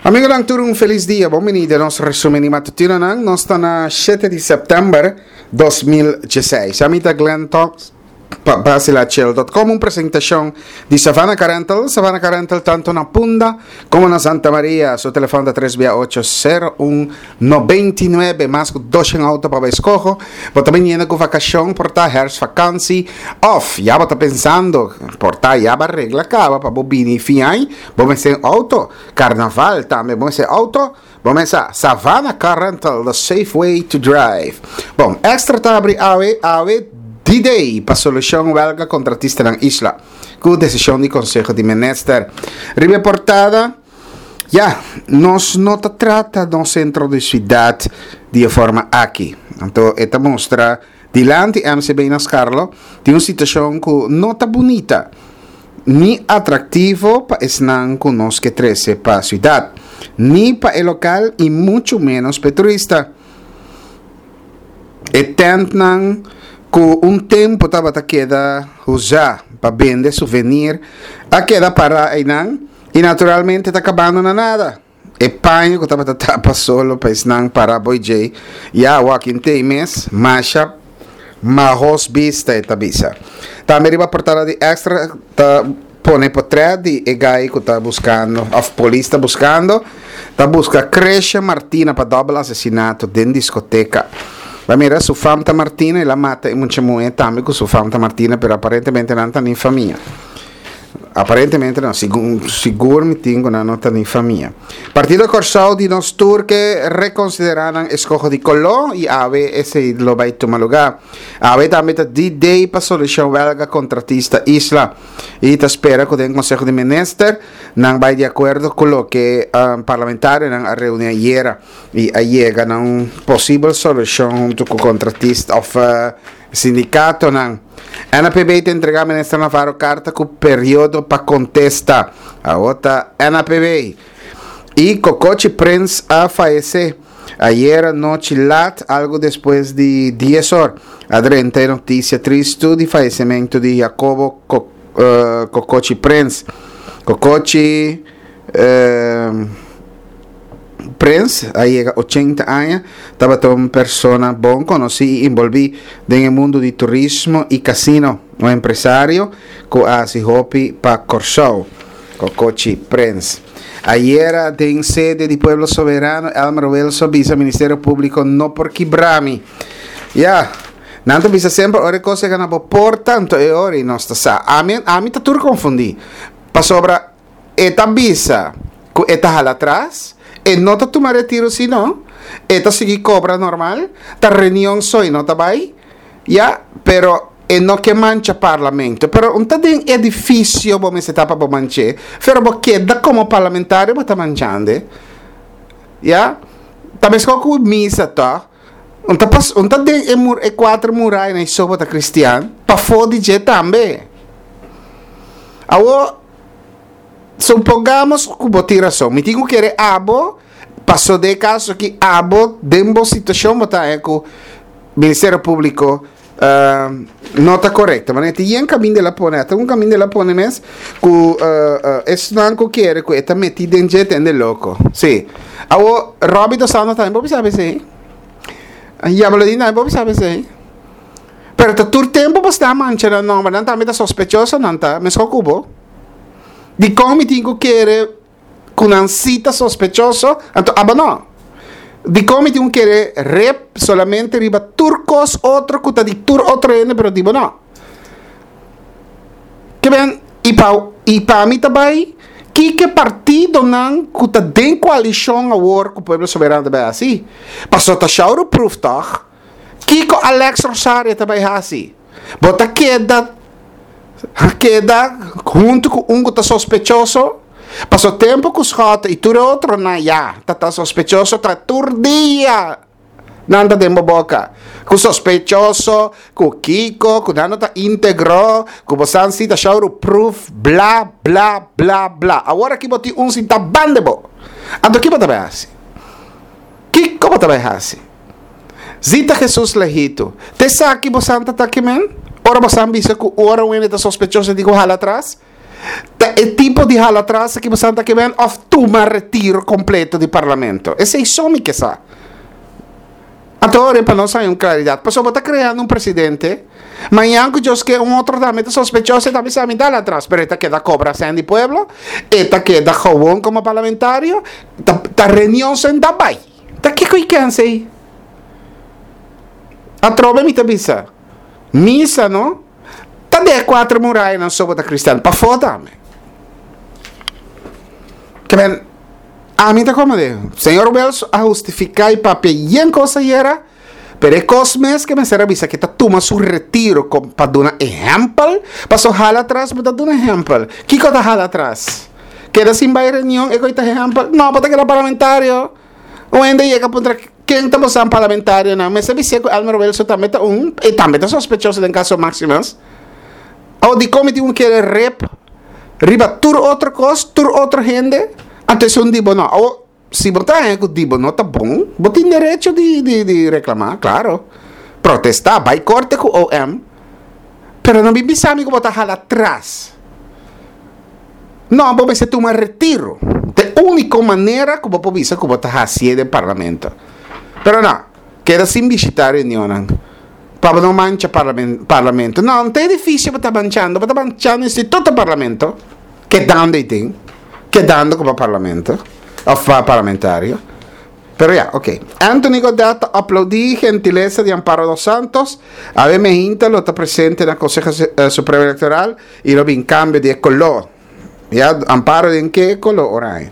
Amigonan tur un felis dia, bon bini den nos resumen di matutinonan. Nos ta na 7 di september 2016. Ami ta Glenn Talks pa basilachel.com, un presentacion di Savannah Car Rental. Savannah Car Rental tanto na Punda como na Santa Maria. Su telefon ta 3 bia 8 0 1 99. Mas cu 200 auto pa bo escoho. Bo ta biniendo cu vacacion, por ta herfstvakantie, of ya bo ta pensando, por ta ya bo a regla caba pa bo bini fin aña. Bo mester un auto. Carnaval tambe bo mester auto. Bo mester Savannah Car Rental, the safe way to drive. Bon, Extra ta abri awe, awe D-Day pa solucion welga contratistanan isla. Cu decision di Conseho di Minister. Riba e portada, ya, nos no ta trata nos centro di ciudad di e forma aki. Anto e ta mustra Dilanti MCB na Scarlo tin un situacion cu no ta bunita ni atractivo pa esnan cu nos ke trece pa ciudad, ni pa e local y mucho menos pa e turista. E tentnan cu un tempo tabata keda usa pa bende souvenir a keda para eynan y naturalmente ta cabando na nada. E paña ku tabata tapa solo pa esnan para boy djei, ya awoki n'tei mes, masha mahos bista e ta bisa. Tambe riba portada di Extra ta pone potrèt di e gai ku ta buskando òf polis ta buskando, ta buska Cresha Martina pa dòbel asesinato den diskoteka. Bo a mira su fam ta Martina, el a mata e mucha muhé tambe ku su fam ta Martina pero aparentemente nan ta ni famia. Aparentemente no, segun sigur mi tin ku nan no ta ni famia. Partido Kòrsou di nos tur ke rekonsiderá nan eskoho di koló i awe esei lo bai tuma lugá. Awe tambe ta D-Day pa solushon wèlga kontratista Isla i ta spera ku den Konseho di Minister nan bai di akuerdo ku loke parlamentarionan a reuní ayera i a yega na un posibel solushon huntu ku kontratista òf Sindikatonan. NAPB ta entregá Minister Navarro karta ku periodo pa kontesta. Awor ta NAPB. I Kokochi Prins a fayesé ayera nochi lat algu despues di dies or. A drenta e notisia tristu di fayesementu di Jacobo Kokochi Prins. Kokochi. Prins a yega ochenta aña, tabata un persona bon konosí i inbolbí den e mundu di turismo i kasino, un empresario ku a hasi hopi pa Kòrsou. Kokochi Prins. Ayera den sede di Pueblo Soberano, Elmer Wilson a bisa Ministerio Públiko no por kibra mi. Ya, nan ta bisa semper ora e kos yega na bo porta, anto e ora i nos ta sa. Ami, ami ta tur konfundí, pasobra. E ta bisa ku e ta hala atras, e no ta tuma retiro si no, e ta sigui kobra normal, ta reunion so e no ta bai, ya, pero e no ke mancha parlamento. Pero un ta den edifisio bo mester ta pa bo manch'é, pero bo keda komo parlamentario bo ta manchando, ya. Ta meskos ku misa tòg, un ta pas un ta den e mur e kuater murainan so bo ta kristian, pafó di dje tambe. Awor. Supongamos ku bo tin rason. Mi tin ku kere abo, paso den e kaso aki abo den bo situashon bo ta haña ku Ministerio Públiko no ta korekto. Manera tin yen kaminda el a pone, ata un kaminda el a pone mes ku esnan ku kere ku e ta metí den dje tende loko. Sí. Awor Robby dos Santos tambe bo bisa esei. Yabalodin tambe bo bisa esei. Pero ta tur tempu bo sta mancha nan nomber, nan tambe ta sospechoso, nan ta meskos ku bo. Dikon mi tin ku kere ku nan si ta sospechoso, anto abo no? Dikon mi tin ku kere rep solamente riba tur kos otro ku ta di tur otro hende pero di bo no? Ke ben, i pa i pa mi ta bai, kiko e partidonan ku ta den koalishon awor ku Pueblo Soberano ta bai hasi? Pasobra ta shouderproof tòg? Kiko Alex Rosario ta bai hasi? Bo ta keda keda huntu ku un ku ta sospechoso? Paso tempu ku Schotte i tur e otronan ya ta ta sospechoso ta tur dia nan ta den bo boka. Ku sospechoso, ku kiko, ku nan no ta integro, ku bo san si ta showru proof, bla bla bla bla. Awor aki bo tin un sinta banda bo. Anto ki bo ta bai hasi? Kiko bo ta bai hasi? Zita Jesus Lehito, Te esaki bo san ta ta kimen? Ora bo san bisa ku ora un hende ta sospechoso e tin ku hala atras? Ta. e tipo di hala atras aki boso ta kiben of tuma retiro kompleto di parlamento? Esei so mi ke sa. Anto ora pa nos haña un klaridat. Pasobra bo ta kreando un presidente, mañan ku Dios ke un otro tambe ta sospechoso e ta bisa mi dal atras, pero e ta keda kobra sèn di pueblo, e ta keda gewon komo parlamentario, ta ta reunion sèn ta bai. Ta kiko i kens ei? Atrobe mi ta bisa, misa no ta den e kuater murayanan so bo ta kristian, pafó tambe. Ke men. Ami ta como de, Señor Wells a hustifica y papia yen cos ayera, pero e cos mes que mester a bisa que ta tuma su retiro com pa duna ehempel, paso hala atras bo ta duna ehempel. Kico ta hala atras? Keda sin bay reunion e coi ta ehempel? No, bo ta keda parlamentario. Un hende yega puntra ken ta bosan parlamentarionan, mester bisa cu Elmer Wilson tambe ta un, e tambe ta sospechoso den caso Maximus. Awo dikon mi tin ku kere rep riba tur otro kos, tur otro hende? Anto esun di bo no. Awo, si bo ta haña ku di bo no ta bon, bo tin derecho di di di reklamá, klaro. Protestá, bai korte ku OM. Pero no bin bisa mi ku bo ta hala tras. No, bo mester tuma retiro. Ta e úniko manera ku bo por bisa ku bo ta hasié den parlamento. Pero no, keda sin bishitá reunionnan. Pa bo no mancha parlamento. No, no ta edificio bo ta manchando, bo ta manchando instituto parlamento. Kedando ei tin, kedando como parlamento, of pa parlamentario. Pero ya, ok. Anthony Godett ta aplaudí gentilesa di Amparo dos Santos. Awe Mehinta lo ta presente na Conseho Supremo Electoral y lo bin cambio di e color. Ya, Amparo den ke color oranje.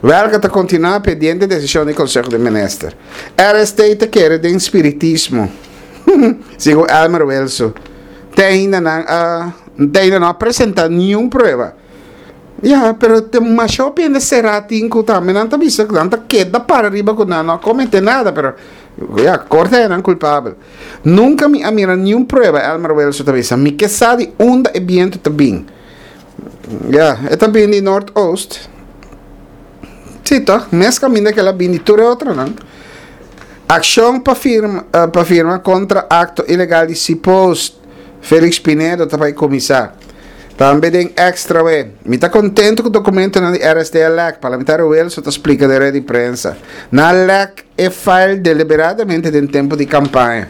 Welga ta continua pendiente decision di Conseho di Minister. RST ta kere den spiritismo. Segun Elmer Wilson. Te ainda nan a, te ainda no a presenta niun prueba. Ya, pero te masha hopi hende será tin ku tambe nan ta bisa ku nan ta keda para riba ku nan no a komete nada, pero ya, korte a nan kulpabel. Nunka mi a mira niun prueba, Elmer Wilson ta bisa. Mi ke sa di unda e bientu ta bin. Ya, e ta bin di Noordoost. Sí, toch? Mes kaminda ke el a bin di tur e otronan. Akshon pa firma, eh, pa firma kontra akto ilegal di Cpost. Felix Pinedo ta bai kuminsá. Tambe den Extra we. Mi ta kontentu ku dokumentonan di RSD a lèk, Parlamentario Wilson ta splika den red di prensa. Nan lèk e file deliberadamente den tempu di kampaña.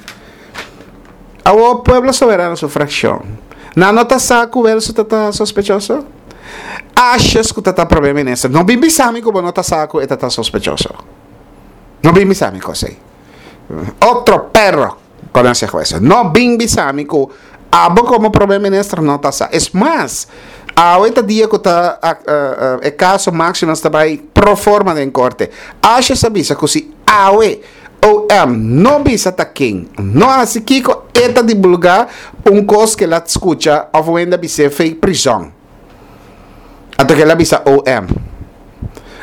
Awor Pueblo Soberano su frakshon, nan no ta sa ku Welso ta ta sospechoso? Ashes ku ta ta prome minister, no bin bisa mi ku bo no ta sa ku e ta ta sospechoso. No bin bisa mi kos ei. Otro perro conoce hueso. No bin bisa mi ku abo komo prome minister no ta sa. Es mas, awe ta dia ku ta e kaso Maximus ta bai pro forma den korte. Ashes a bisa ku si awe OM no bisa ta ken, no hasi kiko e ta divulga un kos ke el a skucha of un hende a bis'é fei prizòn. Anto ke el a bisa OM.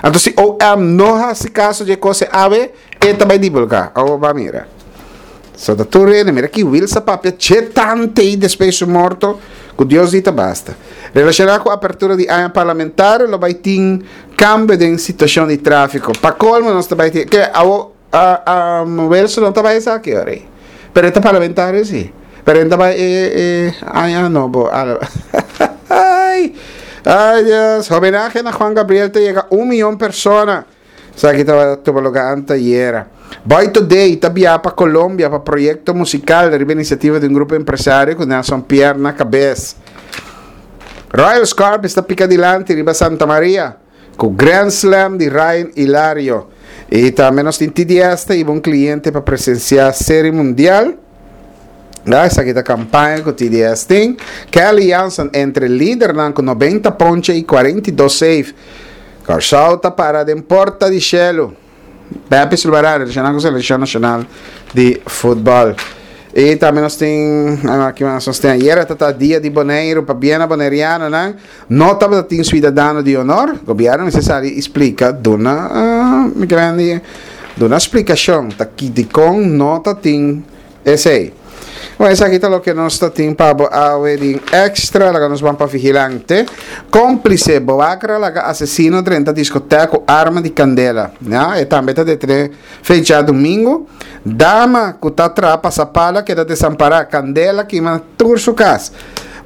Anto si OM no hasi kaso di e kos e awe, e ta bai divulga. Awor bo a mira. So ta tur hende, mira ki Wills a papia che tante i despues su morto, ku Dios di ta basta. Relashoná ku apertura di aña parlamentario lo bai tin Cambio den situacion di trafico. Pa colmo nos ta bay tin, ke awo Wilson no ta bay esaki ora ey. Pero e ta parlamentario si. Pero e ta bay e e aña nobo. Ay, ay Dios. Homenahe na Juan Gabriel ta yega un miyon persona. Esaki tabata tuma lugar antayera. Boy Today ta biaha pa Colombia pa proyecto musical riba iniciativa di un grupo empresario cu Nelson Pierre na cabes. Royal Scorpions ta pica dilanti riba Santa Maria cu Grand Slam di Ryan Hilario. Y tambe nos tin TDS ta hiba un cliente pa presencia Serie Mundial. Ya, esaki ta campaña cu TDS tin. Kelly Jansen entre lidernan cu 90 ponche y 42 save. Kòrsou ta para den porta di shelu. Pepe Silvará relashoná ku selekshon nashonal di futbòl. I tambe nos tin, aki mas nos tin ayera ta ta dia di Boneiru pa biena bonerianonan no tabata tin suidadano di honor. Gobièrnu mester sali i splika duna mi grandi duna splikashon ta ki dikon no ta tin Esei. Bon, esaki ta loke nos ta tin pa bo awe di extra, laga nos ban pa vigilante. Cómplice, Boakra laga asesino drenta discoteca cu arma di candela. Ya, e tambe ta detene fecha domingo. Dama cu ta traha pasapala keda desampara, candela kima tur su cas.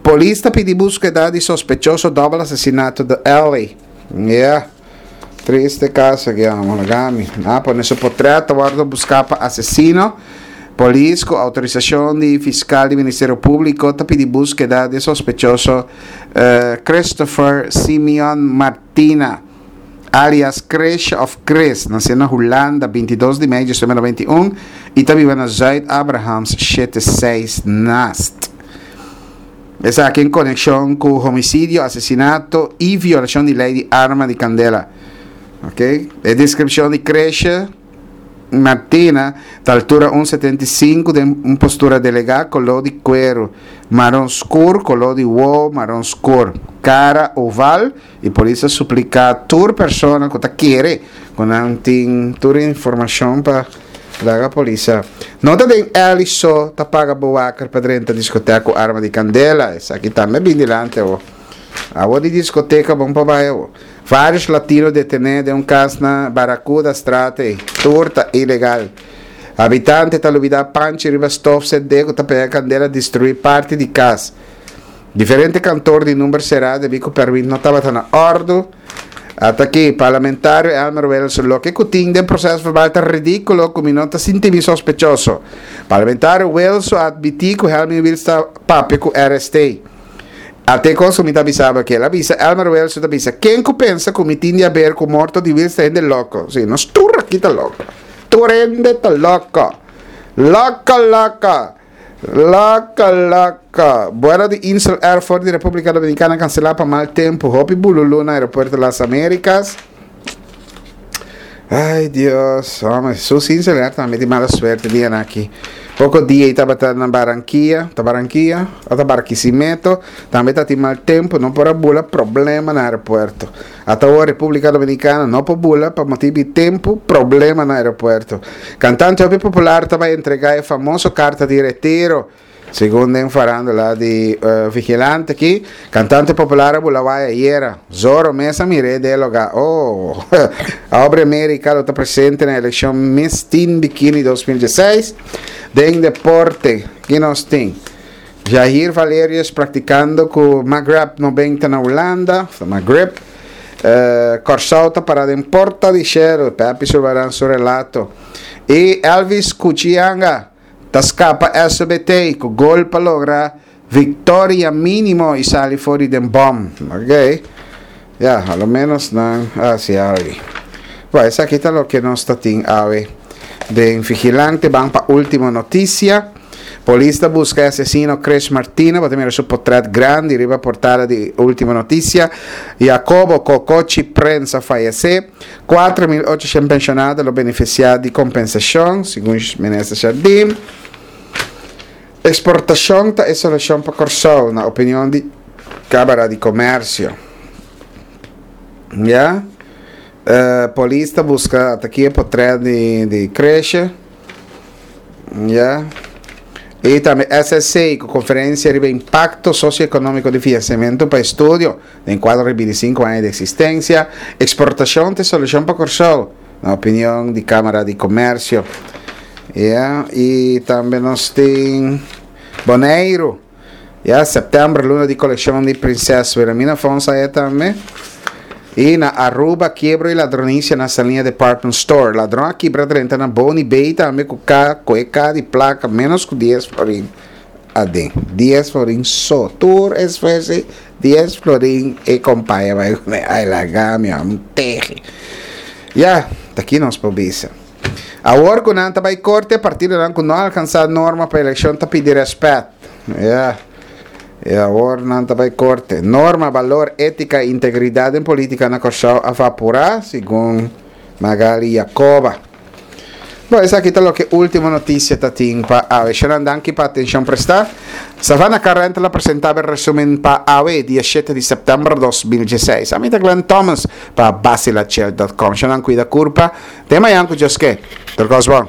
Polis ta pidi búskeda di sospechoso dòbel asesinato The Alley. Yeah. Triste kaso aki, amo lagami. A pone su potret ta wòrdu buská pa asesino. Polis ku outorisashon di fiskal di Ministerio Públiko ta pidi búskeda di e sospechoso Christopher Simeon Martina, alias Krish òf Chris, nasé na Hulanda 22 di mei 1991 i ta biba na Zuid Abrahams shete seis Nast. Esaki en konekshon ku homisidio, asesinato i violashon di lei di arma di kandela. Ok, e deskripshon di Kreshe Martina ta altura un 75 den un postura delegá, koló di kueru maron skur, koló di wowo maron skur, kara oval i polis a supliká tur persona ku ta kere ku nan tin tur informashon pa Laga polis sa. No ta den Ellie so ta paga bewaker pa drenta discoteca cu arma di candela. Esaki tambe bin dilanti awo. Awo di discoteca bon pa bai awo. Varios latino detene den un cas na Barracuda straat ey. Tur ta ilegal. Habitante ta lubida panchi riba stof cende cu ta pega candela destrui parti di cas. Diferente kantoor di number será debí ku pèrmit no tabata na òrdu. Ata aki, Parlamentario Elmer Wilson, Loke ku tin den proseso verbal ta ridíkulo ku mi no ta sinti mi sospechoso. Parlamentario Wilson a atmití ku Helmin Wiels ta papia ku RST. Ata e kos ku mi ta bisa bo aki. El a bisa, Elmer Wilson ta bisa, Ken ku pensa ku mi tin di aber ku morto di Wiels ta hende loko. Sí, nos tur aki ta loko. Tur hende ta loko. Loko, loko! Laka laka. Buelo di Insel Air for di Republica Dominicana cancela pa mal tempo. Hopi bululu na aeropuerto Las Americas. Ay Dios, hombre, sus Insel Air tambe di mala suerte dia na aki. Poco dia y tabata na Barranquilla, ta Barranquilla, o ta Barquisimeto, tambe ta tin mal tempo, no por a bula problema na aeropuerto. Ata awor Republica Dominicana no por bula pa motibu di tempu problema na aeropuerto. Cantante hopi popular ta bay entrega e famoso carta di retiro. Segun den farandula di Vigilante aki, cantante popular a bula way ayera. Zorro mes a mir'é den e loga. Oh! Aubrey America lo ta presente na eleccion Miss Teen Bikini 2016. Den deporte, ki nos tin? Jair Valerius praktikando ku Maghreb 90 na Hulanda, of Maghreb. Kòrsou ta pará den porta di shelu, Pepi Sulvaran su relato. I Elvis Kuchianga ta skapa SBT ku gol pa logra viktoria mínimo i sali for di den bòm. Ok. Ya, a lo ménos nan a hasi algu. Bon, esaki ta loke nos ta tin awe den Vigilante. Ban pa último notisia. Polis ta buska e asesino Chris Martina, bo ta mira su potret grandi riba portada di Ultimo Noticia. Jacobo Cocochi Prens a fayece. 4.800 pensionado lo beneficia di compensacion, segun Minister Jardim. Exportacion ta e solucion pa Corsou, na opinion di Camara di Comercio. Ya. Uh, polis ta buska ataki e potret di, di Cresce. Ya. I tambe SSC ku konferensia riba impakto sosioekonómiko di finansiamentu pa estudio den kuadro di 25 aña di eksistensia. Eksportashon ta e solushon pa Kòrsou, na opinion di Kámara di Komèrsio. Ya, i tambe nos tin Boneiru. Ya, sèptèmber luna di kolekshon di Prinses Wilhelmina Fonds aya tambe. I na Aruba kiebro i ladronisia na Saliña Department Store. Ladron a kibra drenta na Boni Bay tambe ku ka ku e ka di plaka menos ku dies florin aden. Dies florin so. Tur esfuerso dies florin e kompaya bai kuné. Ai laga mi un tehi. Ya, ta ki nos por bisa. Awor ku nan ta bai korte, partidonan ku no a alkansá norma pa elekshon ta pidi rèspèt. Ya. E awor nan ta bai korte. Norma, balor, étika i integridat den polítika na Kòrsou a vaporá, segun Magali Jacoba. Bon, esaki ta loke Ultimo Noticia ta tin pa awe. Shonan danki pa atenshon prestá. Savannah Car Rental a presentá bo e resumen pa awe, dia shete di sèptèmber 2016. Ami ta Glenn Thomas pa Basilachel dot com. Shonan kuida kurpa. Te mañan ku Dios ke. Tur kos bon.